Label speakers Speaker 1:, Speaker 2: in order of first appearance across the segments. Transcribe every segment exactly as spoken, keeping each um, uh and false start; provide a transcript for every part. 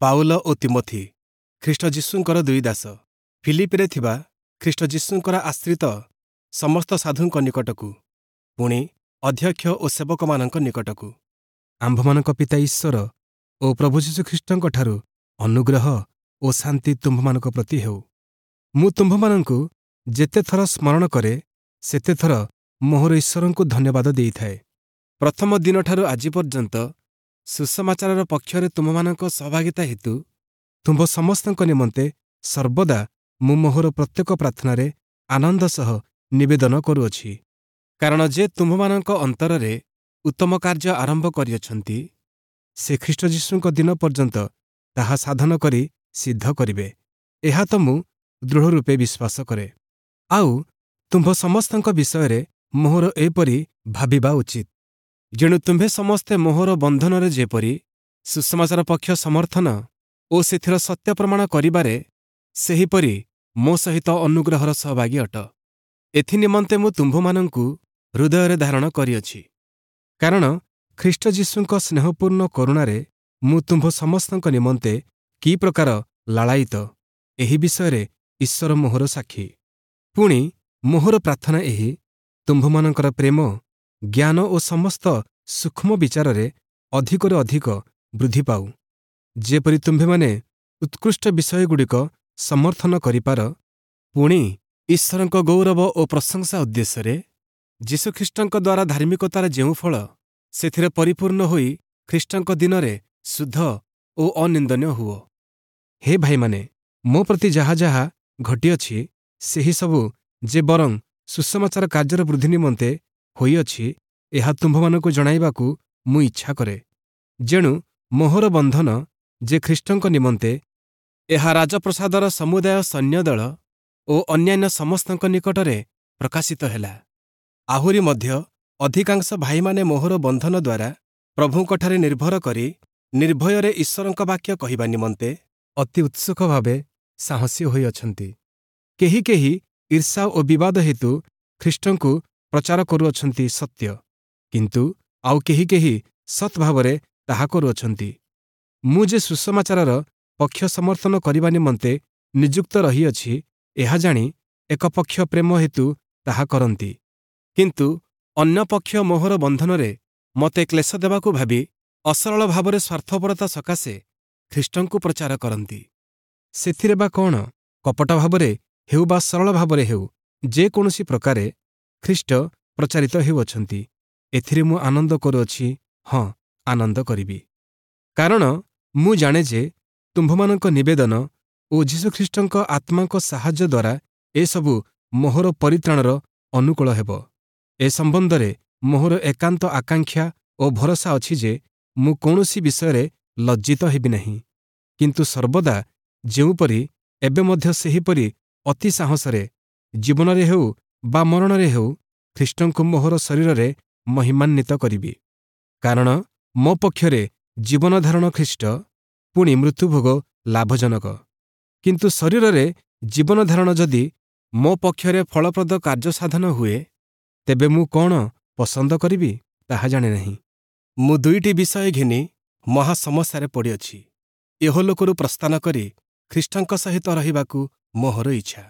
Speaker 1: Paul ଓ Timothy, ଖ୍ରୀଷ୍ଟ ଯୀଶୁଙ୍କର ଦୁଇ ଦାସ, ଫିଲିପ୍ପିରେ ଥିବା ଖ୍ରୀଷ୍ଟ ଯୀଶୁଙ୍କର ଆଶ୍ରିତ ସମସ୍ତ ସାଧୁଙ୍କ ନିକଟକୁ, ପୁଣି ଅଧ୍ୟକ୍ଷ ଓ ସେବକମାନଙ୍କ ନିକଟକୁ। ଆମ୍ଭମାନଙ୍କ ପିତା ଈଶ୍ୱର ଓ ପ୍ରଭୁ ଯୀଶୁଖ୍ରୀଷ୍ଟଙ୍କଠାରୁ ଅନୁଗ୍ରହ ଓ ଶାନ୍ତି ତୁମ୍ଭମାନଙ୍କ ପ୍ରତି ହେଉ। ମୁଁ ତୁମ୍ଭମାନଙ୍କୁ ଯେତେଥର ସ୍ମରଣ କରେ, ସେତେଥର ମୋହର ଈଶ୍ୱରଙ୍କୁ ଧନ୍ୟବାଦ ଦେଇଥାଏ। ପ୍ରଥମ ଦିନଠାରୁ ଆଜି ପର୍ଯ୍ୟନ୍ତ ସୁସମାଚାରର ପକ୍ଷରେ ତୁମ୍ଭମାନଙ୍କ ସହଭାଗିତା ହେତୁ ତୁମ୍ଭ ସମସ୍ତଙ୍କ ନିମନ୍ତେ ସର୍ବଦା ମୁଁ ମୋହର ପ୍ରତ୍ୟେକ ପ୍ରାର୍ଥନାରେ ଆନନ୍ଦ ସହ ନିବେଦନ କରୁଅଛି। କାରଣ ଯେ ତୁମ୍ଭମାନଙ୍କ ଅନ୍ତରରେ ଉତ୍ତମ କାର୍ଯ୍ୟ ଆରମ୍ଭ କରିଅଛନ୍ତି, ସେ ଖ୍ରୀଷ୍ଟ ଯୀଶୁଙ୍କ ଦିନ ପର୍ଯ୍ୟନ୍ତ ତାହା ସାଧନ କରି ସିଦ୍ଧ କରିବେ, ଏହା ତ ମୁଁ ଦୃଢ଼ରୂପେ ବିଶ୍ୱାସ କରେ। ଆଉ ତୁମ୍ଭ ସମସ୍ତଙ୍କ ବିଷୟରେ ମୋହର ଏପରି ଭାବିବା ଉଚିତ। ଯେଣୁ ତୁମ୍ଭେ ସମସ୍ତେ ମୋହର ବନ୍ଧନରେ ଯେପରି ସୁସମାଚାର ପକ୍ଷ ସମର୍ଥନ ଓ ସେଥିର ସତ୍ୟ ପ୍ରମାଣ କରିବାରେ ସେହିପରି ମୋ ସହିତ ଅନୁଗ୍ରହର ସହଭାଗୀ ଅଟ। ଏଥିନିମନ୍ତେ ମୁଁ ତୁମ୍ଭମାନଙ୍କୁ ହୃଦୟରେ ଧାରଣ କରିଅଛି। କାରଣ ଖ୍ରୀଷ୍ଟ ଯୀଶୁଙ୍କ ସ୍ନେହପୂର୍ଣ୍ଣ କରୁଣାରେ ମୁଁ ତୁମ୍ଭ ସମସ୍ତଙ୍କ ନିମନ୍ତେ କି ପ୍ରକାର ଲାଳାୟିତ, ଏହି ବିଷୟରେ ଈଶ୍ୱର ମୋହର ସାକ୍ଷୀ। ପୁଣି ମୋହର ପ୍ରାର୍ଥନା ଏହି, ତୁମ୍ଭମାନଙ୍କର ପ୍ରେମ, ଜ୍ଞାନ ଓ ସମସ୍ତ ସୂକ୍ଷ୍ମ ବିଚାରରେ ଅଧିକରୁ ଅଧିକ ବୃଦ୍ଧି ପାଉ, ଯେପରି ତୁମ୍ଭେମାନେ ଉତ୍କୃଷ୍ଟ ବିଷୟଗୁଡ଼ିକ ସମର୍ଥନ କରିପାର, ପୁଣି ଈଶ୍ୱରଙ୍କ ଗୌରବ ଓ ପ୍ରଶଂସା ଉଦ୍ଦେଶ୍ୟରେ ଯୀଶୁଖ୍ରୀଷ୍ଟଙ୍କ ଦ୍ୱାରା ଧାର୍ମିକତାର ଯେଉଁ ଫଳ, ସେଥିରେ ପରିପୂର୍ଣ୍ଣ ହୋଇ ଖ୍ରୀଷ୍ଟଙ୍କ ଦିନରେ ଶୁଦ୍ଧ ଓ ଅନିନ୍ଦନୀୟ ହୁଅ। ହେ ଭାଇମାନେ, ମୋ ପ୍ରତି ଯାହା ଯାହା ଘଟିଅଛି, ସେହି ସବୁ ଯେ ବରଂ ସୁସମାଚାର କାର୍ଯ୍ୟର ବୃଦ୍ଧି ନିମନ୍ତେ ହୋଇଅଛି, ଏହା ତୁମ୍ଭମାନଙ୍କୁ ଜଣାଇବାକୁ ମୁଁ ଇଚ୍ଛା କରେ। ଯେଣୁ ମୋହର ବନ୍ଧନ ଯେ ଖ୍ରୀଷ୍ଟଙ୍କ ନିମନ୍ତେ, ଏହା ରାଜପ୍ରାସାଦର ସମୁଦାୟ ସୈନ୍ୟଦଳ ଓ ଅନ୍ୟାନ୍ୟ ସମସ୍ତଙ୍କ ନିକଟରେ ପ୍ରକାଶିତ ହେଲା। ଆହୁରି ମଧ୍ୟ ଅଧିକାଂଶ ଭାଇମାନେ ମୋହର ବନ୍ଧନ ଦ୍ୱାରା ପ୍ରଭୁଙ୍କଠାରେ ନିର୍ଭର କରି ନିର୍ଭୟରେ ଈଶ୍ୱରଙ୍କ ବାକ୍ୟ କହିବା ନିମନ୍ତେ ଅତି ଉତ୍ସୁକ ଭାବେ ସାହସୀ ହୋଇଅଛନ୍ତି। କେହି କେହି ଈର୍ଷା ଓ ବିବାଦ ହେତୁ ଖ୍ରୀଷ୍ଟଙ୍କୁ ପ୍ରଚାର କରୁଅଛନ୍ତି ସତ୍ୟ, କିନ୍ତୁ ଆଉ କେହି କେହି ସତ୍ ଭାବରେ ତାହା କରୁଅଛନ୍ତି। ମୁଁ ଯେ ସୁସମାଚାରର ପକ୍ଷ ସମର୍ଥନ କରିବା ନିମନ୍ତେ ନିଯୁକ୍ତ ରହିଅଛି, ଏହା ଜାଣି ଏକ ପକ୍ଷ ପ୍ରେମ ହେତୁ ତାହା କରନ୍ତି, କିନ୍ତୁ ଅନ୍ୟ ପକ୍ଷ ମୋହର ବନ୍ଧନରେ ମୋତେ କ୍ଲେଶ ଦେବାକୁ ଭାବି ଅସରଳ ଭାବରେ ସ୍ୱାର୍ଥପରତା ସକାଶେ ଖ୍ରୀଷ୍ଟଙ୍କୁ ପ୍ରଚାର କରନ୍ତି। ସେଥିରେ ବା କ'ଣ? କପଟ ଭାବରେ ହେଉ ବା ସରଳ ଭାବରେ ହେଉ, ଯେକୌଣସି ପ୍ରକାରେ ଖ୍ରୀଷ୍ଟ ପ୍ରଚାରିତ ହେଉଅଛନ୍ତି, ଏଥିରେ ମୁଁ ଆନନ୍ଦ କରୁଅଛି, ହଁ, ଆନନ୍ଦ କରିବି। କାରଣ ମୁଁ ଜାଣେ ଯେ ତୁମ୍ଭମାନଙ୍କ ନିବେଦନ ଓ ଯୀଶୁଖ୍ରୀଷ୍ଟଙ୍କ ଆତ୍ମାଙ୍କ ସାହାଯ୍ୟ ଦ୍ୱାରା ଏସବୁ ମୋହର ପରିତ୍ରାଣର ଅନୁକୂଳ ହେବ। ଏ ସମ୍ବନ୍ଧରେ ମୋହର ଏକାନ୍ତ ଆକାଂକ୍ଷା ଓ ଭରସା ଅଛି ଯେ ମୁଁ କୌଣସି ବିଷୟରେ ଲଜ୍ଜିତ ହେବି ନାହିଁ, କିନ୍ତୁ ସର୍ବଦା ଯେଉଁପରି ଏବେ ମଧ୍ୟ ସେହିପରି ଅତି ସାହସରେ ଜୀବନରେ ହେଉ ବା ମରଣରେ ହେଉ ଖ୍ରୀଷ୍ଟଙ୍କୁ ମୋହର ଶରୀରରେ ମହିମାନ୍ୱିତ କରିବି। କାରଣ ମୋ ପକ୍ଷରେ ଜୀବନଧାରଣ ଖ୍ରୀଷ୍ଟ, ପୁଣି ମୃତ୍ୟୁଭୋଗ ଲାଭଜନକ। କିନ୍ତୁ ଶରୀରରେ ଜୀବନଧାରଣ ଯଦି ମୋ ପକ୍ଷରେ ଫଳପ୍ରଦ କାର୍ଯ୍ୟସାଧନ ହୁଏ, ତେବେ ମୁଁ କ'ଣ ପସନ୍ଦ କରିବି ତାହା ଜାଣେ ନାହିଁ। ମୁଁ ଦୁଇଟି ବିଷୟ ଘେନି ମହା ସମସ୍ୟାରେ ପଡ଼ିଅଛି। ଇହଲୋକରୁ ପ୍ରସ୍ଥାନ କରି ଖ୍ରୀଷ୍ଟଙ୍କ ସହିତ ରହିବାକୁ ମୋହର ଇଚ୍ଛା,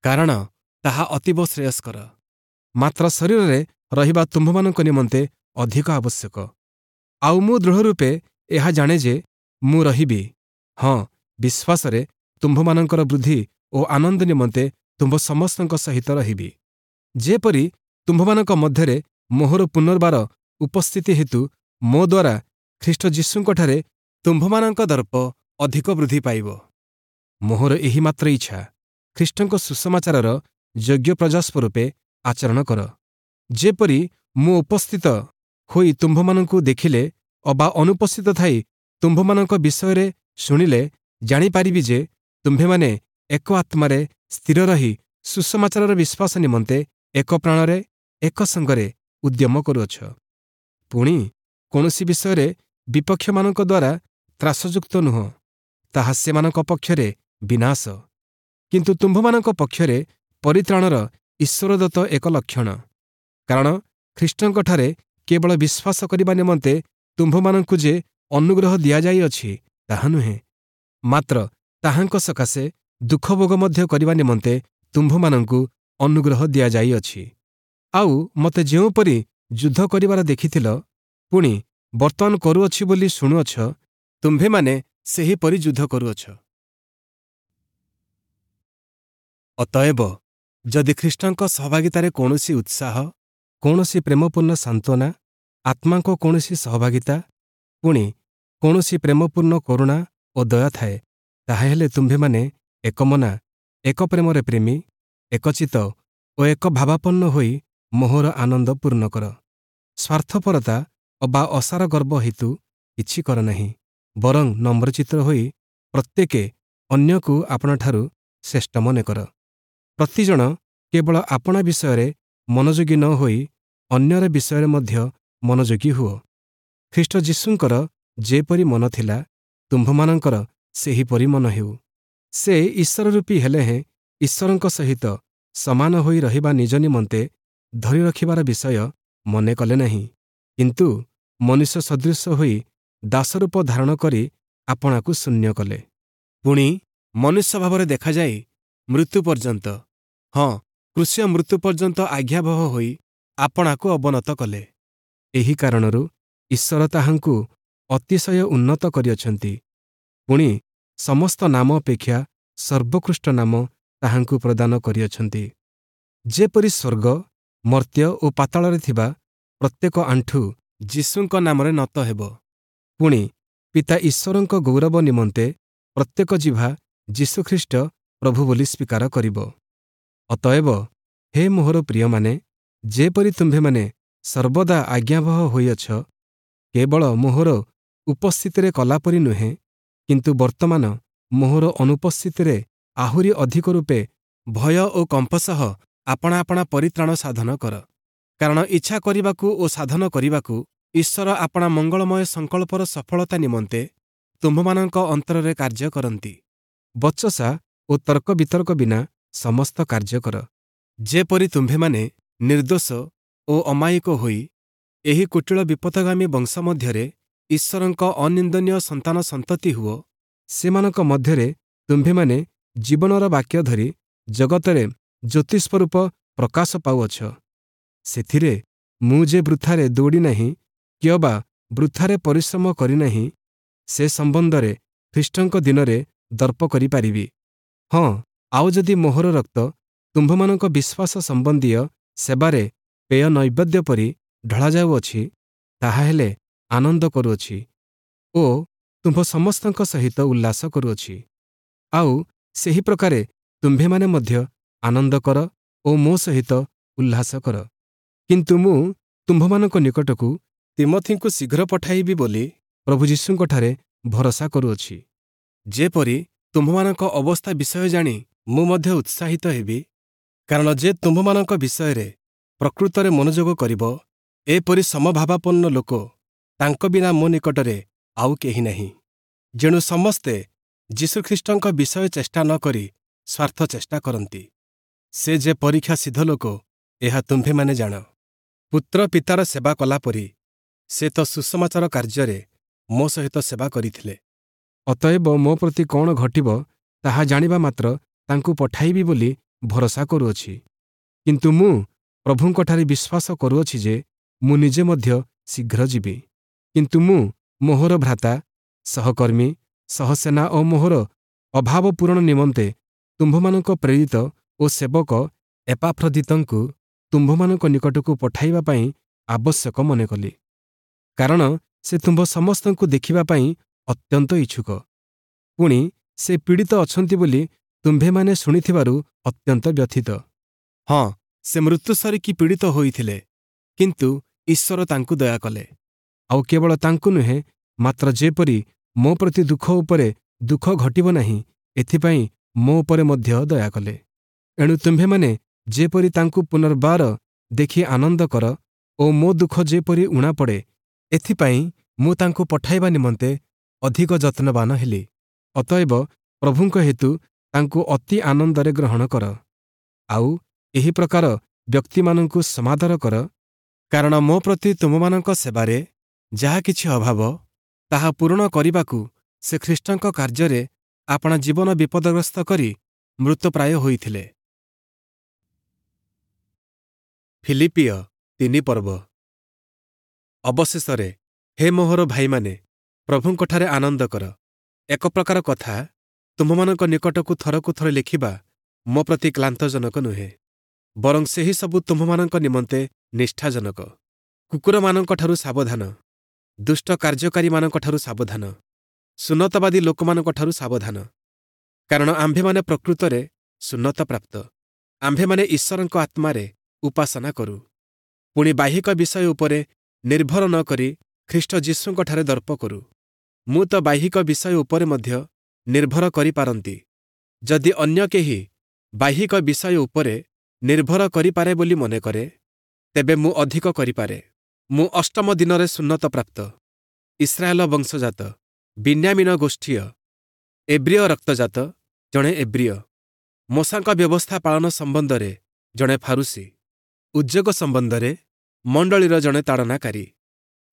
Speaker 1: କାରଣ ତାହା ଅତୀବ ଶ୍ରେୟସ୍କର। ମାତ୍ର ଶରୀରରେ ରହିବା ତୁମ୍ଭମାନଙ୍କ ନିମନ୍ତେ ଅଧିକ ଆବଶ୍ୟକ। ଆଉ ମୁଁ ଦୃଢ଼ରୂପେ ଏହା ଜାଣେ ଯେ ମୁଁ ରହିବି, ହଁ, ବିଶ୍ୱାସରେ ତୁମ୍ଭମାନଙ୍କର ବୃଦ୍ଧି ଓ ଆନନ୍ଦ ନିମନ୍ତେ ତୁମ୍ଭ ସମସ୍ତଙ୍କ ସହିତ ରହିବି, ଯେପରି ତୁମ୍ଭମାନଙ୍କ ମଧ୍ୟରେ ମୋହର ପୁନର୍ବାର ଉପସ୍ଥିତି ହେତୁ ମୋ ଦ୍ୱାରା ଖ୍ରୀଷ୍ଟ ଯୀଶୁଙ୍କଠାରେ ତୁମ୍ଭମାନଙ୍କ ଦର୍ପ ଅଧିକ ବୃଦ୍ଧି ପାଇବ। ମୋହର ଏହି ମାତ୍ର ଇଚ୍ଛା, ଖ୍ରୀଷ୍ଟଙ୍କ ସୁସମାଚାରର ଯୋଗ୍ୟ ପ୍ରଜା ସ୍ୱରୂପେ ଆଚରଣ କର, ଯେପରି ମୁଁ ଉପସ୍ଥିତ ହୋଇ ତୁମ୍ଭମାନଙ୍କୁ ଦେଖିଲେ ଅବା ଅନୁପସ୍ଥିତ ଥାଇ ତୁମ୍ଭମାନଙ୍କ ବିଷୟରେ ଶୁଣିଲେ ଜାଣିପାରିବି ଯେ ତୁମ୍ଭେମାନେ ଏକ ଆତ୍ମାରେ ସ୍ଥିର ରହି ସୁସମାଚାରର ବିଶ୍ୱାସ ନିମନ୍ତେ ଏକ ପ୍ରାଣରେ ଏକ ସଙ୍ଗରେ ଉଦ୍ୟମ କରୁଅଛ। ପୁଣି କୌଣସି ବିଷୟରେ ବିପକ୍ଷମାନଙ୍କ ଦ୍ୱାରା ତ୍ରାସଯୁକ୍ତ ନୁହଁ, ତାହା ସେମାନଙ୍କ ପକ୍ଷରେ ବିନାଶ, କିନ୍ତୁ ତୁମ୍ଭମାନଙ୍କ ପକ୍ଷରେ ପରିତ୍ରାଣର ଈଶ୍ୱରଦତ୍ତ ଏକ ଲକ୍ଷଣ। କାରଣ ଖ୍ରୀଷ୍ଟଙ୍କଠାରେ କେବଳ ବିଶ୍ୱାସ କରିବା ନିମନ୍ତେ ତୁମ୍ଭମାନଙ୍କୁ ଯେ ଅନୁଗ୍ରହ ଦିଆଯାଇଅଛି ତାହା ନୁହେଁ, ମାତ୍ର ତାହାଙ୍କ ସକାଶେ ଦୁଃଖଭୋଗ ମଧ୍ୟ କରିବା ନିମନ୍ତେ ତୁମ୍ଭମାନଙ୍କୁ ଅନୁଗ୍ରହ ଦିଆଯାଇଅଛି। ଆଉ ମୋତେ ଯେଉଁପରି ଯୁଦ୍ଧ କରିବାର ଦେଖିଥିଲ, ପୁଣି ବର୍ତ୍ତମାନ କରୁଅଛି ବୋଲି ଶୁଣୁଅଛ, ତୁମ୍ଭେମାନେ ସେହିପରି ଯୁଦ୍ଧ କରୁଅଛ। ଅତଏବ ଯଦି ଖ୍ରୀଷ୍ଟଙ୍କ ସହଭାଗିତାରେ କୌଣସି ଉତ୍ସାହ, କୌଣସି ପ୍ରେମପୂର୍ଣ୍ଣ ସାନ୍ତ୍ୱନା, ଆତ୍ମାଙ୍କ କୌଣସି ସହଭାଗିତା, ପୁଣି କୌଣସି ପ୍ରେମପୂର୍ଣ୍ଣ କରୁଣା ଓ ଦୟା ଥାଏ, ତାହାହେଲେ ତୁମ୍ଭେମାନେ ଏକମନା, ଏକ ପ୍ରେମରେ ପ୍ରେମୀ, ଏକଚିତ୍ତ ଓ ଏକ ଭାବାପନ୍ନ ହୋଇ ମୋହର ଆନନ୍ଦ ପୂର୍ଣ୍ଣ କର। ସ୍ୱାର୍ଥପରତା ଅବା ଅସାର ଗର୍ବ ହେତୁ କିଛି କର ନାହିଁ, ବରଂ ନମ୍ରଚିତ୍ତ ହୋଇ ପ୍ରତ୍ୟେକେ ଅନ୍ୟକୁ ଆପଣାଠାରୁ ଶ୍ରେଷ୍ଠ ମନେ କର। ପ୍ରତିଜଣ କେବଳ ଆପଣା ବିଷୟରେ ମନୋଯୋଗୀ ନ ହୋଇ ଅନ୍ୟର ବିଷୟରେ ମଧ୍ୟ ମନୋଯୋଗୀ ହୁଅ। ଖ୍ରୀଷ୍ଟ ଯୀଶୁଙ୍କର ଯେପରି ମନ ଥିଲା, ତୁମ୍ଭମାନଙ୍କର ସେହିପରି ମନ ହେଉ। ସେ ଈଶ୍ୱର ରୂପୀ ହେଲେ ହେଁ ଈଶ୍ୱରଙ୍କ ସହିତ ସମାନ ହୋଇ ରହିବା ନିଜ ନିମନ୍ତେ ଧରି ରଖିବାର ବିଷୟ ମନେ କଲେ ନାହିଁ, କିନ୍ତୁ ମନୁଷ୍ୟ ସଦୃଶ ହୋଇ ଦାସରୂପ ଧାରଣ କରି ଆପଣାକୁ ଶୂନ୍ୟ କଲେ। ପୁଣି ମନୁଷ୍ୟ ଭାବରେ ଦେଖାଯାଇ ମୃତ୍ୟୁ ପର୍ଯ୍ୟନ୍ତ, ହଁ କ୍ରୁଶୀୟ ମୃତ୍ୟୁ ପର୍ଯ୍ୟନ୍ତ ଆଜ୍ଞାବହ ହୋଇ ଆପଣାକୁ ଅବନତ କଲେ। ଏହି କାରଣରୁ ଈଶ୍ୱର ତାହାଙ୍କୁ ଅତିଶୟ ଉନ୍ନତ କରିଅଛନ୍ତି, ପୁଣି ସମସ୍ତ ନାମ ଅପେକ୍ଷା ସର୍ବୋତ୍କୃଷ୍ଟ ନାମ ତାହାଙ୍କୁ ପ୍ରଦାନ କରିଅଛନ୍ତି, ଯେପରି ସ୍ୱର୍ଗ, ମର୍ତ୍ତ୍ୟ ଓ ପାତାଳରେ ଥିବା ପ୍ରତ୍ୟେକ ଆଣ୍ଠୁ ଯୀଶୁଙ୍କ ନାମରେ ନତ ହେବ, ପୁଣି ପିତା ଈଶ୍ୱରଙ୍କ ଗୌରବ ନିମନ୍ତେ ପ୍ରତ୍ୟେକ ଜିହ୍ବା ଯୀଶୁଖ୍ରୀଷ୍ଟ ପ୍ରଭୁ ବୋଲି ସ୍ୱୀକାର କରିବ। ଅତଏବ ହେ ମୋହର ପ୍ରିୟମାନେ, ଯେପରି ତୁମ୍ଭେମାନେ ସର୍ବଦା ଆଜ୍ଞାବହ ହୋଇଅଛ, କେବଳ ମୋହର ଉପସ୍ଥିତିରେ କଲାପରି ନୁହେଁ, କିନ୍ତୁ ବର୍ତ୍ତମାନ ମୋହର ଅନୁପସ୍ଥିତିରେ ଆହୁରି ଅଧିକ ରୂପେ ଭୟ ଓ କମ୍ପ ସହ ଆପଣା ଆପଣା ପରିତ୍ରାଣ ସାଧନ କର। କାରଣ ଇଚ୍ଛା କରିବାକୁ ଓ ସାଧନ କରିବାକୁ ଈଶ୍ୱର ଆପଣା ମଙ୍ଗଳମୟ ସଂକଳ୍ପର ସଫଳତା ନିମନ୍ତେ ତୁମ୍ଭମାନଙ୍କ ଅନ୍ତରରେ କାର୍ଯ୍ୟ କରନ୍ତି। ବଚସା ଓ ତର୍କ ବିତର୍କ ବିନା ସମସ୍ତ କାର୍ଯ୍ୟ କର, ଯେପରି ତୁମ୍ଭେମାନେ ନିର୍ଦ୍ଦୋଷ ଓ ଅମାୟିକ ହୋଇ ଏହି କୁଟିଳ ବିପଥଗାମୀ ବଂଶ ମଧ୍ୟରେ ଈଶ୍ୱରଙ୍କ ଅନିନ୍ଦନୀୟ ସନ୍ତାନ ସନ୍ତତି ହୁଅ। ସେମାନଙ୍କ ମଧ୍ୟରେ ତୁମ୍ଭେମାନେ ଜୀବନର ବାକ୍ୟ ଧରି ଜଗତରେ ଜ୍ୟୋତିସ୍ୱରୂପ ପ୍ରକାଶ ପାଉଅଛ। ସେଥିରେ ମୁଁ ଯେ ବୃଥାରେ ଦୌଡ଼ି ନାହିଁ କିଅବା ବୃଥାରେ ପରିଶ୍ରମ କରିନାହିଁ, ସେ ସମ୍ବନ୍ଧରେ ଖ୍ରୀଷ୍ଟଙ୍କ ଦିନରେ ଦର୍ପ କରିପାରିବି। ହଁ, ଆଉ ଯଦି ମୋହର ରକ୍ତ ତୁମ୍ଭମାନଙ୍କ ବିଶ୍ୱାସ ସମ୍ବନ୍ଧୀୟ ସେବାରେ ପେୟ ନୈବେଦ୍ୟ ପରି ଢଳାଯାଉଅଛି, ତାହାହେଲେ ଆନନ୍ଦ କରୁଅଛି ଓ ତୁମ୍ଭ ସମସ୍ତଙ୍କ ସହିତ ଉଲ୍ଲାସ କରୁଅଛି। ଆଉ ସେହି ପ୍ରକାରେ ତୁମ୍ଭେମାନେ ମଧ୍ୟ ଆନନ୍ଦ କର ଓ ମୋ ସହିତ ଉଲ୍ଲାସ କର। କିନ୍ତୁ ମୁଁ ତୁମ୍ଭମାନଙ୍କ ନିକଟକୁ ତୀମଥିଙ୍କୁ ଶୀଘ୍ର ପଠାଇବି ବୋଲି ପ୍ରଭୁ ଯୀଶୁଙ୍କଠାରେ ଭରସା କରୁଅଛି, ଯେପରି ତୁମ୍ଭମାନଙ୍କ ଅବସ୍ଥା ବିଷୟ ଜାଣି ମୁଁ ମଧ୍ୟ ଉତ୍ସାହିତ ହେବି। କାରଣ ଯେ ତୁମ୍ଭମାନଙ୍କ ବିଷୟରେ ପ୍ରକୃତରେ ମନୋଯୋଗ କରିବ, ଏପରି ସମଭାବାପନ୍ନ ଲୋକ ତାଙ୍କ ବିନା ମୋ ନିକଟରେ ଆଉ କେହି ନାହିଁ। ଯେଣୁ ସମସ୍ତେ ଯୀଶୁଖ୍ରୀଷ୍ଟଙ୍କ ବିଷୟ ଚେଷ୍ଟା ନ କରି ସ୍ୱାର୍ଥ ଚେଷ୍ଟା କରନ୍ତି। ସେ ଯେ ପରୀକ୍ଷା ସିଦ୍ଧ ଲୋକ, ଏହା ତୁମ୍ଭେମାନେ ଜାଣ। ପୁତ୍ର ପିତାର ସେବା କଲାପରି ସେ ତ ସୁସମାଚାର କାର୍ଯ୍ୟରେ ମୋ ସହିତ ସେବା କରିଥିଲେ। ଅତଏବ ମୋ ପ୍ରତି କ'ଣ ଘଟିବ ତାହା ଜାଣିବା ମାତ୍ର ତାଙ୍କୁ ପଠାଇବି ବୋଲି ଭରସା କରୁଅଛି। କିନ୍ତୁ ମୁଁ ପ୍ରଭୁଙ୍କଠାରେ ବିଶ୍ୱାସ କରୁଅଛି ଯେ ମୁଁ ନିଜେ ମଧ୍ୟ ଶୀଘ୍ର ଯିବି। କିନ୍ତୁ ମୁଁ ମୋହର ଭ୍ରାତା, ସହକର୍ମୀ, ସହସେନା ଓ ମୋହର ଅଭାବ ପୂରଣ ନିମନ୍ତେ ତୁମ୍ଭମାନଙ୍କ ପ୍ରେରିତ ଓ ସେବକ ଏପାଫ୍ରଦିତଙ୍କୁ ତୁମ୍ଭମାନଙ୍କ ନିକଟକୁ ପଠାଇବା ପାଇଁ ଆବଶ୍ୟକ ମନେ କଲି, କାରଣ ସେ ତୁମ୍ଭ ସମସ୍ତଙ୍କୁ ଦେଖିବା ପାଇଁ ଅତ୍ୟନ୍ତ ଇଚ୍ଛୁକ। ପୁଣି ସେ ପୀଡ଼ିତ ଅଛନ୍ତି ବୋଲି ତୁମ୍ଭେମାନେ ଶୁଣିଥିବାରୁ ଅତ୍ୟନ୍ତ ବ୍ୟଥିତ। ହଁ, ସେ ମୃତ୍ୟୁ ସରିକି ପୀଡ଼ିତ ହୋଇଥିଲେ, କିନ୍ତୁ ଈଶ୍ୱର ତାଙ୍କୁ ଦୟା କଲେ। ଆଉ କେବଳ ତାଙ୍କୁ ନୁହେଁ, ମାତ୍ର ଯେପରି ମୋ ପ୍ରତି ଦୁଃଖ ଉପରେ ଦୁଃଖ ଘଟିବ ନାହିଁ, ଏଥିପାଇଁ ମୋ ଉପରେ ମଧ୍ୟ ଦୟା କଲେ। ଏଣୁ ତୁମ୍ଭେମାନେ ଯେପରି ତାଙ୍କୁ ପୁନର୍ବାର ଦେଖି ଆନନ୍ଦ କର ଓ ମୋ ଦୁଃଖ ଯେପରି ଊଣା ପଡ଼େ, ଏଥିପାଇଁ ମୁଁ ତାଙ୍କୁ ପଠାଇବା ନିମନ୍ତେ ଅଧିକ ଯତ୍ନବାନ ହେଲି। ଅତଏବ ପ୍ରଭୁଙ୍କ ହେତୁ ତାଙ୍କୁ ଅତି ଆନନ୍ଦରେ ଗ୍ରହଣ କର, ଆଉ ଏହି ପ୍ରକାର ବ୍ୟକ୍ତିମାନଙ୍କୁ ସମାଦର କର, କାରଣ ମୋ ପ୍ରତି ତୁମମାନଙ୍କ ସେବାରେ ଯାହା କିଛି ଅଭାବ, ତାହା ପୂରଣ କରିବାକୁ ସେ ଖ୍ରୀଷ୍ଟଙ୍କ କାର୍ଯ୍ୟରେ ଆପଣା ଜୀବନ ବିପଦଗ୍ରସ୍ତ କରି ମୃତପ୍ରାୟ ହୋଇଥିଲେ। ଫିଲିପ୍ପୀୟ ତିନି ପର୍ବ। ଅବଶେଷରେ ହେ ମୋହର ଭାଇମାନେ, ପ୍ରଭୁଙ୍କଠାରେ ଆନନ୍ଦ କର। ଏକ ପ୍ରକାର କଥା ତୁମ୍ଭମାନଙ୍କ ନିକଟକୁ ଥରକୁ ଥର ଲେଖିବା ମୋ ପ୍ରତି କ୍ଳାନ୍ତଜନକ ନୁହେଁ, ବରଂ ସେହି ସବୁ ତୁମ୍ଭମାନଙ୍କ ନିମନ୍ତେ ନିଷ୍ଠାଜନକ। କୁକୁରମାନଙ୍କଠାରୁ ସାବଧାନ, ଦୁଷ୍ଟ କାର୍ଯ୍ୟକାରୀମାନଙ୍କଠାରୁ ସାବଧାନ, ସୁନ୍ନତବାଦୀ ଲୋକମାନଙ୍କଠାରୁ ସାବଧାନ। କାରଣ ଆମ୍ଭେମାନେ ପ୍ରକୃତରେ ସୁନ୍ନତପ୍ରାପ୍ତ, ଆମ୍ଭେମାନେ ଈଶ୍ୱରଙ୍କ ଆତ୍ମାରେ ଉପାସନା କରୁ, ପୁଣି ବାହ୍ୟିକ ବିଷୟ ଉପରେ ନିର୍ଭର ନ କରି ଖ୍ରୀଷ୍ଟ ଯୀଶୁଙ୍କଠାରେ ଦର୍ପ କରୁ। ମୁଁ ତ ବାହ୍ୟିକ ବିଷୟ ଉପରେ ମଧ୍ୟ ନିର୍ଭର କରିପାରନ୍ତି। ଯଦି ଅନ୍ୟ କେହି ବାହ୍ୟିକ ବିଷୟ ଉପରେ ନିର୍ଭର କରିପାରେ ବୋଲି ମନେକରେ, ତେବେ ମୁଁ ଅଧିକ କରିପାରେ। ମୁଁ ଅଷ୍ଟମ ଦିନରେ ସୁନ୍ନତପ୍ରାପ୍ତ, ଇସ୍ରାଏଲ ବଂଶଜାତ, ବିନ୍ୟାମୀନ ଗୋଷ୍ଠୀୟ, ଏବ୍ରୀୟ ରକ୍ତଜାତ ଜଣେ ଏବ୍ରୀୟ, ମୋଶାଙ୍କ ବ୍ୟବସ୍ଥା ପାଳନ ସମ୍ବନ୍ଧରେ ଜଣେ ଫାରୂଶୀ, ଉଦ୍ଯୋଗ ସମ୍ବନ୍ଧରେ ମଣ୍ଡଳୀର ଜଣେ ତାଡ଼ନାକାରୀ,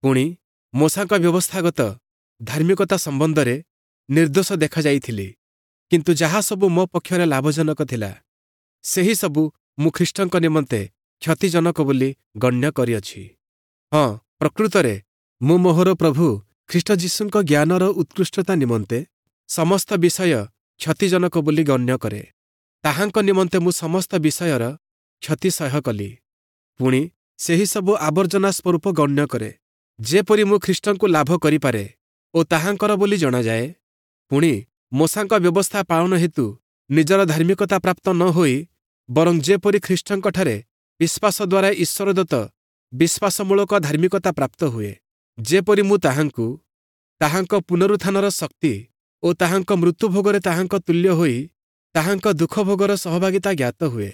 Speaker 1: ପୁଣି ମୋଶାଙ୍କ ବ୍ୟବସ୍ଥାଗତ ଧାର୍ମିକତା ସମ୍ବନ୍ଧରେ ନିର୍ଦ୍ଦୋଷ ଦେଖାଯାଇଥିଲି। କିନ୍ତୁ ଯାହା ସବୁ ମୋ ପକ୍ଷରେ ଲାଭଜନକ ଥିଲା, ସେହି ସବୁ ମୁଁ ଖ୍ରୀଷ୍ଟଙ୍କ ନିମନ୍ତେ କ୍ଷତିଜନକ ବୋଲି ଗଣ୍ୟ କରିଅଛି। ହଁ, ପ୍ରକୃତରେ ମୁଁ ମୋହର ପ୍ରଭୁ ଖ୍ରୀଷ୍ଟ ଯୀଶୁଙ୍କ ଜ୍ଞାନର ଉତ୍କୃଷ୍ଟତା ନିମନ୍ତେ ସମସ୍ତ ବିଷୟ କ୍ଷତିଜନକ ବୋଲି ଗଣ୍ୟ କରେ। ତାହାଙ୍କ ନିମନ୍ତେ ମୁଁ ସମସ୍ତ ବିଷୟର କ୍ଷତି ସହ୍ୟ କଲି, ପୁଣି ସେହି ସବୁ ଆବର୍ଜନା ସ୍ୱରୂପ ଗଣ୍ୟ କରେ, ଯେପରି ମୁଁ ଖ୍ରୀଷ୍ଟଙ୍କୁ ଲାଭ କରିପାରେ ଓ ତାହାଙ୍କର ବୋଲି ଜଣାଯାଏ। ପୁଣି ମୋଶାଙ୍କ ବ୍ୟବସ୍ଥା ପାଳନ ହେତୁ ନିଜର ଧାର୍ମିକତା ପ୍ରାପ୍ତ ନ ହୋଇ, ବରଂ ଯେପରି ଖ୍ରୀଷ୍ଟଙ୍କଠାରେ ବିଶ୍ୱାସ ଦ୍ୱାରା ଈଶ୍ୱରଦତ୍ତ ବିଶ୍ୱାସମୂଳକ ଧାର୍ମିକତା ପ୍ରାପ୍ତ ହୁଏ, ଯେପରି ମୁଁ ତାହାଙ୍କୁ, ତାହାଙ୍କ ପୁନରୁତ୍ଥାନର ଶକ୍ତି ଓ ତାହାଙ୍କ ମୃତ୍ୟୁଭୋଗରେ ତାହାଙ୍କ ତୁଲ୍ୟ ହୋଇ ତାହାଙ୍କ ଦୁଃଖଭୋଗର ସହଭାଗିତା ଜ୍ଞାତ ହୁଏ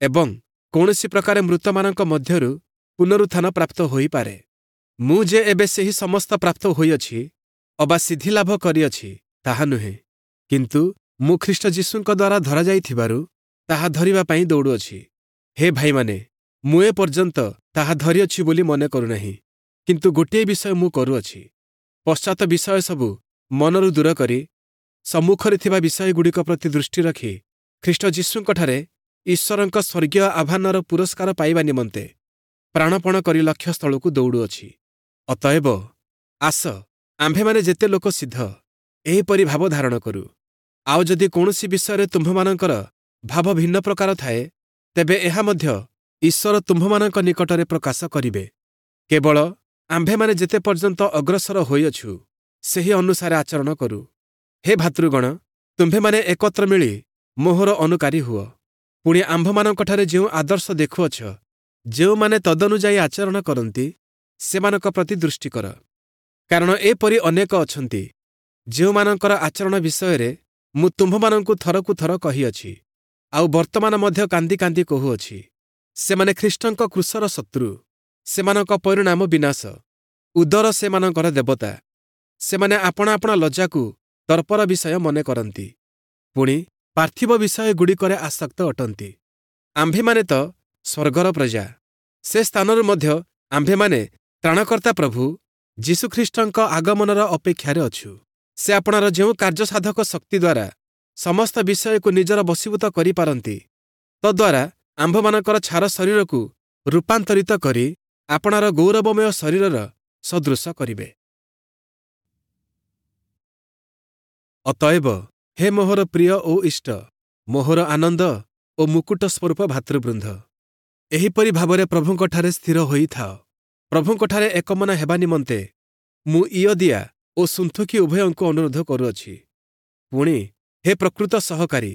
Speaker 1: ଏବଂ କୌଣସି ପ୍ରକାରେ ମୃତମାନଙ୍କ ମଧ୍ୟରୁ ପୁନରୁତ୍ଥାନ ପ୍ରାପ୍ତ ହୋଇପାରେ। ମୁଁ ଯେ ଏବେ ସେହି ସମସ୍ତ ପ୍ରାପ୍ତ ହୋଇଅଛି ଅବା ସିଦ୍ଧି ଲାଭ କରିଅଛି, ତାହା ନୁହେଁ, କିନ୍ତୁ ମୁଁ ଖ୍ରୀଷ୍ଟ ଯୀଶୁଙ୍କ ଦ୍ୱାରା ଧରାଯାଇଥିବାରୁ ତାହା ଧରିବା ପାଇଁ ଦୌଡ଼ୁଅଛି। ହେ ଭାଇମାନେ, ମୁଁ ଏ ପର୍ଯ୍ୟନ୍ତ ତାହା ଧରିଅଛି ବୋଲି ମନେ କରୁନାହିଁ, କିନ୍ତୁ ଗୋଟିଏ ବିଷୟ ମୁଁ କରୁଅଛି, ପଶ୍ଚାତ ବିଷୟ ସବୁ ମନରୁ ଦୂର କରି ସମ୍ମୁଖରେ ଥିବା ବିଷୟଗୁଡ଼ିକ ପ୍ରତି ଦୃଷ୍ଟି ରଖି ଖ୍ରୀଷ୍ଟ ଯୀଶୁଙ୍କଠାରେ ଈଶ୍ୱରଙ୍କ ସ୍ୱର୍ଗୀୟ ଆହ୍ୱାନର ପୁରସ୍କାର ପାଇବା ନିମନ୍ତେ ପ୍ରାଣପଣ କରି ଲକ୍ଷ୍ୟସ୍ଥଳକୁ ଦୌଡ଼ୁଅଛି। ଅତଏବ ଆସ, ଆମ୍ଭେମାନେ ଯେତେ ଲୋକ ସିଦ୍ଧ, ଏହିପରି ଭାବ ଧାରଣ କରୁ। ଆଉ ଯଦି କୌଣସି ବିଷୟରେ ତୁମ୍ଭମାନଙ୍କର ଭାବ ଭିନ୍ନ ପ୍ରକାର ଥାଏ, ତେବେ ଏହା ମଧ୍ୟ ଈଶ୍ୱର ତୁମ୍ଭମାନଙ୍କ ନିକଟରେ ପ୍ରକାଶ କରିବେ। କେବଳ ଆମ୍ଭେମାନେ ଯେତେ ପର୍ଯ୍ୟନ୍ତ ଅଗ୍ରସର ହୋଇଅଛୁ, ସେହି ଅନୁସାରେ ଆଚରଣ କରୁ। ହେ ଭାତୃଗଣ, ତୁମ୍ଭେମାନେ ଏକତ୍ର ମିଳି ମୋହର ଅନୁକାରୀ ହୁଅ। ପୁଣି ଆମ୍ଭମାନଙ୍କଠାରେ ଯେଉଁ ଆଦର୍ଶ ଦେଖୁଅଛ, ଯେଉଁମାନେ ତଦନୁଯାୟୀ ଆଚରଣ କରନ୍ତି, ସେମାନଙ୍କ ପ୍ରତି ଦୃଷ୍ଟି କର। କାରଣ ଏପରି ଅନେକ ଅଛନ୍ତି, ଯେଉଁମାନଙ୍କର ଆଚରଣ ବିଷୟରେ ମୁଁ ତୁମ୍ଭମାନଙ୍କୁ ଥରକୁ ଥର କହିଅଛି, ଆଉ ବର୍ତ୍ତମାନ ମଧ୍ୟ କାନ୍ଦି କାନ୍ଦି କହୁଅଛି। ସେମାନେ ଖ୍ରୀଷ୍ଟଙ୍କ କ୍ରୁଶର ଶତ୍ରୁ, ସେମାନଙ୍କ ପରିଣାମ ବିନାଶ, ଉଦର ସେମାନଙ୍କର ଦେବତା। ସେମାନେ ଆପଣା ଆପଣା ଲଜ୍ଜାକୁ ଦର୍ପର ବିଷୟ ମନେ କରନ୍ତି, ପୁଣି ପାର୍ଥିବ ବିଷୟଗୁଡ଼ିକରେ ଆସକ୍ତ ଅଟନ୍ତି। ଆମ୍ଭେମାନେ ତ ସ୍ୱର୍ଗର ପ୍ରଜା। ସେ ସ୍ଥାନରୁ ମଧ୍ୟ ଆମ୍ଭେମାନେ ତ୍ରାଣକର୍ତ୍ତା ପ୍ରଭୁ ଯୀଶୁଖ୍ରୀଷ୍ଟଙ୍କ ଆଗମନର ଅପେକ୍ଷାରେ ଅଛୁ। ସେ ଆପଣାର ଯେଉଁ କାର୍ଯ୍ୟସାଧକ ଶକ୍ତି ଦ୍ୱାରା ସମସ୍ତ ବିଷୟକୁ ନିଜର ବଶୀଭୂତ କରିପାରନ୍ତି, ତଦ୍ୱାରା ଆମ୍ଭମାନଙ୍କର ଛାର ଶରୀରକୁ ରୂପାନ୍ତରିତ କରି ଆପଣାର ଗୌରବମୟ ଶରୀରର ସଦୃଶ କରିବେ। ଅତଏବ ହେ ମୋହର ପ୍ରିୟ ଓ ଇଷ୍ଟ, ମୋହର ଆନନ୍ଦ ଓ ମୁକୁଟ ସ୍ୱରୂପ ଭାତୃବୃନ୍ଦ, ଏହିପରି ଭାବରେ ପ୍ରଭୁଙ୍କଠାରେ ସ୍ଥିର ହୋଇଥାଅ। ପ୍ରଭୁଙ୍କଠାରେ ଏକମନା ହେବା ନିମନ୍ତେ ମୁଁ ଇୟଦିଆ ଓ ସୁନ୍ଥୁକି ଉଭୟଙ୍କୁ ଅନୁରୋଧ କରୁଅଛି। ପୁଣି ହେ ପ୍ରକୃତ ସହକାରୀ,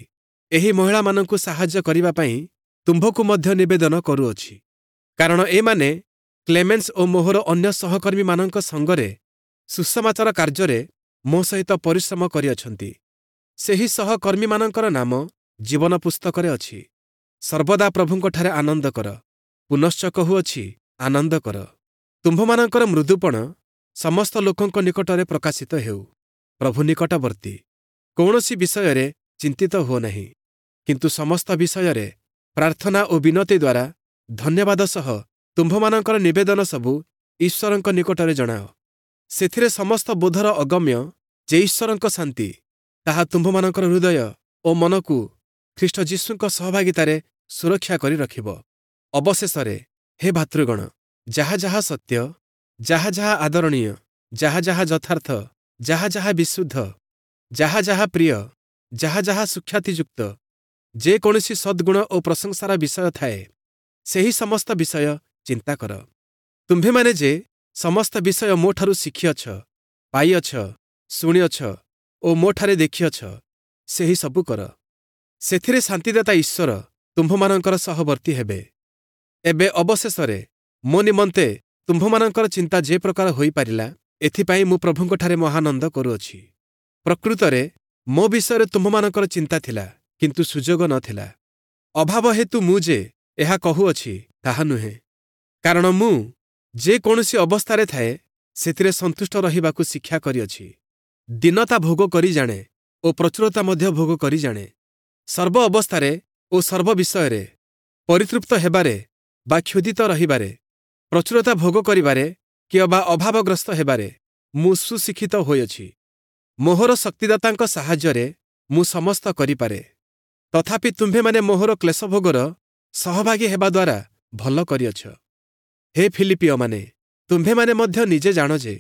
Speaker 1: ଏହି ମହିଳାମାନଙ୍କୁ ସାହାଯ୍ୟ କରିବା ପାଇଁ ତୁମ୍ଭକୁ ମଧ୍ୟ ନିବେଦନ କରୁଅଛି। କାରଣ ଏମାନେ କ୍ଲେମେନ୍ସ ଓ ମୋହର ଅନ୍ୟ ସହକର୍ମୀମାନଙ୍କ ସଙ୍ଗରେ ସୁସମାଚାର କାର୍ଯ୍ୟରେ ମୋ ସହିତ ପରିଶ୍ରମ କରିଅଛନ୍ତି। ସେହି ସହକର୍ମୀମାନଙ୍କର ନାମ ଜୀବନ ପୁସ୍ତକରେ ଅଛି। ସର୍ବଦା ପ୍ରଭୁଙ୍କଠାରେ ଆନନ୍ଦ କର। ପୁନଶ୍ଚ କହୁଅଛି, ଆନନ୍ଦ କର। ତୁମ୍ଭମାନଙ୍କର ମୃଦୁପଣ ସମସ୍ତ ଲୋକଙ୍କ ନିକଟରେ ପ୍ରକାଶିତ ହେଉ। ପ୍ରଭୁ ନିକଟବର୍ତ୍ତୀ। କୌଣସି ବିଷୟରେ ଚିନ୍ତିତ ହୁଅ ନାହିଁ, କିନ୍ତୁ ସମସ୍ତ ବିଷୟରେ ପ୍ରାର୍ଥନା ଓ ବିନତି ଦ୍ୱାରା ଧନ୍ୟବାଦ ସହ ତୁମ୍ଭମାନଙ୍କର ନିବେଦନ ସବୁ ଈଶ୍ୱରଙ୍କ ନିକଟରେ ଜଣାଅ। ସେଥିରେ ସମସ୍ତ ବୋଧର ଅଗମ୍ୟ ଯେ ଈଶ୍ୱରଙ୍କ ଶାନ୍ତି, ତାହା ତୁମ୍ଭମାନଙ୍କର ହୃଦୟ ଓ ମନକୁ ଖ୍ରୀଷ୍ଟ ଯୀଶୁଙ୍କ ସହଭାଗିତାରେ ସୁରକ୍ଷା କରି ରଖିବ। ଅବଶେଷରେ ହେ ଭ୍ରାତୃଗଣ, ଯାହା ଯାହା ସତ୍ୟ, ଯାହା ଯାହା ଆଦରଣୀୟ, ଯାହା ଯାହା ଯଥାର୍ଥ, ଯାହା ଯାହା ବିଶୁଦ୍ଧ, ଯାହା ଯାହା ପ୍ରିୟ, ଯାହା ଯାହା ସୁଖ୍ୟାତିଯୁକ୍ତ, ଯେକୌଣସି ସଦ୍ଗୁଣ ଓ ପ୍ରଶଂସାର ବିଷୟ ଥାଏ, ସେହି ସମସ୍ତ ବିଷୟ ଚିନ୍ତା କର। ତୁମ୍ଭେମାନେ ଯେ ସମସ୍ତ ବିଷୟ ମୋଠାରୁ ଶିଖିଅଛ, ପାଇଅଛ, ଶୁଣିଅଛ ଓ ମୋଠାରେ ଦେଖିଅଛ, ସେହି ସବୁ କର। ସେଥିରେ ଶାନ୍ତିଦାତା ଈଶ୍ୱର ତୁମ୍ଭମାନଙ୍କର ସହବର୍ତ୍ତୀ ହେବେ। ଏବେ ଅବଶେଷରେ ମୋ ନିମନ୍ତେ ତୁମ୍ଭମାନଙ୍କର ଚିନ୍ତା ଯେ ପ୍ରକାର ହୋଇପାରିଲା, ଏଥିପାଇଁ ମୁଁ ପ୍ରଭୁଙ୍କଠାରେ ମହାନନ୍ଦ କରୁଅଛି। ପ୍ରକୃତରେ ମୋ ବିଷୟରେ ତୁମ୍ଭମାନଙ୍କର ଚିନ୍ତା ଥିଲା, କିନ୍ତୁ ସୁଯୋଗ ନ ଥିଲା। ଅଭାବ ହେତୁ ମୁଁ ଯେ ଏହା କହୁଅଛି, ତାହା ନୁହେଁ। କାରଣ ମୁଁ ଯେ କୌଣସି ଅବସ୍ଥାରେ ଥାଏ, ସେଥିରେ ସନ୍ତୁଷ୍ଟ ରହିବାକୁ ଶିକ୍ଷା କରିଅଛି। ଦୀନତା ଭୋଗ କରି ଜାଣେ ଓ ପ୍ରଚୁରତା ମଧ୍ୟ ଭୋଗ କରି ଜାଣେ। ସର୍ବ ଅବସ୍ଥାରେ ଓ ସର୍ବ ବିଷୟରେ ପରିତୃପ୍ତ ହେବାରେ ବା କ୍ଷୁଧିତ ରହିବାରେ, ପ୍ରଚୁରତା ଭୋଗ କରିବାରେ କିମ୍ବା ଅଭାବଗ୍ରସ୍ତ ହେବାରେ ମୁଁ ସୁଶିକ୍ଷିତ ହୋଇଅଛି। ମୋହର ଶକ୍ତିଦାତାଙ୍କ ସାହାଯ୍ୟରେ ମୁଁ ସମସ୍ତ କରିପାରେ। ତଥାପି ତୁମ୍ଭେମାନେ ମୋହର କ୍ଲେଶଭୋଗର ସହଭାଗୀ ହେବା ଦ୍ୱାରା ଭଲ କରିଅଛ। ହେ ଫିଲିପିୟମାନେ, ତୁମ୍ଭେମାନେ ମଧ୍ୟ ନିଜେ ଜାଣ ଯେ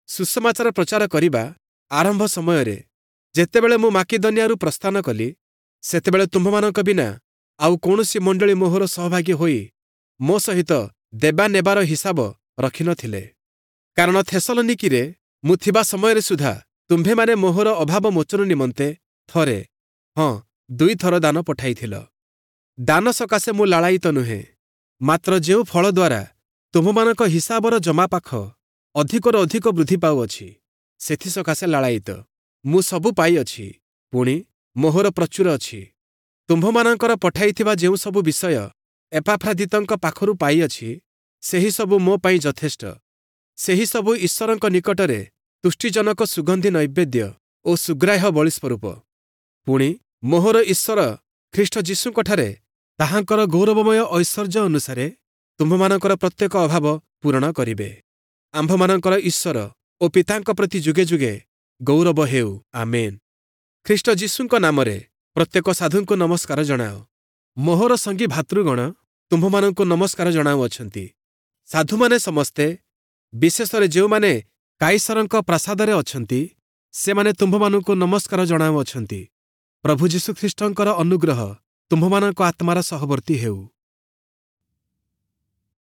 Speaker 1: ସୁସମାଚାର ପ୍ରଚାର କରିବା ଆରମ୍ଭ ସମୟରେ ଯେତେବେଳେ ମୁଁ ମାକିଦନିଆରୁ ପ୍ରସ୍ଥାନ କଲି, ସେତେବେଳେ ତୁମ୍ଭମାନଙ୍କ ବିନା ଆଉ କୌଣସି ମଣ୍ଡଳୀ ମୋହର ସହଭାଗୀ ହୋଇ ମୋ ସହିତ ଦେବା ନେବାର ହିସାବ ରଖିନଥିଲେ। କାରଣ ଥେସଲନିକିରେ ମୁଁ ଥିବା ସମୟରେ ସୁଦ୍ଧା ତୁମ୍ଭେମାନେ ମୋହର ଅଭାବ ମୋଚନ ନିମନ୍ତେ ଥରେ, ହଁ, ଦୁଇଥର ଦାନ ପଠାଇଥିଲ। ଦାନ ସକାଶେ ମୁଁ ଲାଳାୟିତ ନୁହେଁ, ମାତ୍ର ଯେଉଁ ଫଳ ଦ୍ୱାରା ତୁମ୍ଭମାନଙ୍କ ହିସାବର ଜମାପାଖ ଅଧିକରୁ ଅଧିକ ବୃଦ୍ଧି ପାଉଅଛି, ସେଥି ସକାଶେ ଲାଳାୟିତ। ମୁଁ ସବୁ ପାଇଅଛି, ପୁଣି ମୋହର ପ୍ରଚୁର ଅଛି। ତୁମ୍ଭମାନଙ୍କର ପଠାଇଥିବା ଯେଉଁ ସବୁ ବିଷୟ ଏପାଫ୍ରାଦିତଙ୍କ ପାଖରୁ ପାଇଅଛି, ସେହି ସବୁ ମୋ ପାଇଁ ଯଥେଷ୍ଟ। ସେହି ସବୁ ଈଶ୍ୱରଙ୍କ ନିକଟରେ ତୁଷ୍ଟିଜନକ ସୁଗନ୍ଧି ନୈବେଦ୍ୟ ଓ ସୁଗ୍ରାହ୍ୟ ବଳିସ୍ୱରୂପ। ପୁଣି ମୋହର ଈଶ୍ୱର ଖ୍ରୀଷ୍ଟ ଯୀଶୁଙ୍କଠାରେ ତାହାଙ୍କର ଗୌରବମୟ ଐଶ୍ୱର୍ଯ୍ୟ ଅନୁସାରେ ତୁମ୍ଭମାନଙ୍କର ପ୍ରତ୍ୟେକ ଅଭାବ ପୂରଣ କରିବେ। ଆମ୍ଭମାନଙ୍କର ଈଶ୍ୱର ଓ ପିତାଙ୍କ ପ୍ରତି ଯୁଗେ ଯୁଗେ ଗୌରବ ହେଉ। ଆମେନ୍। ଖ୍ରୀଷ୍ଟ ଯୀଶୁଙ୍କ ନାମରେ ପ୍ରତ୍ୟେକ ସାଧୁଙ୍କୁ ନମସ୍କାର ଜଣାଅ। ମୋହର ସଙ୍ଗୀ ଭାତୃଗଣ ତୁମ୍ଭମାନଙ୍କୁ ନମସ୍କାର ଜଣାଉଅଛନ୍ତି। ସାଧୁମାନେ ସମସ୍ତେ, ବିଶେଷରେ ଯେଉଁମାନେ କାଇସରଙ୍କ ପ୍ରାସାଦରେ ଅଛନ୍ତି, ସେମାନେ ତୁମ୍ଭମାନଙ୍କୁ ନମସ୍କାର ଜଣାଉଅଛନ୍ତି। ପ୍ରଭୁ ଯୀଶୁଖ୍ରୀଷ୍ଟଙ୍କର ଅନୁଗ୍ରହ ତୁମ୍ଭମାନଙ୍କ ଆତ୍ମାର ସହବର୍ତ୍ତୀ ହେଉ।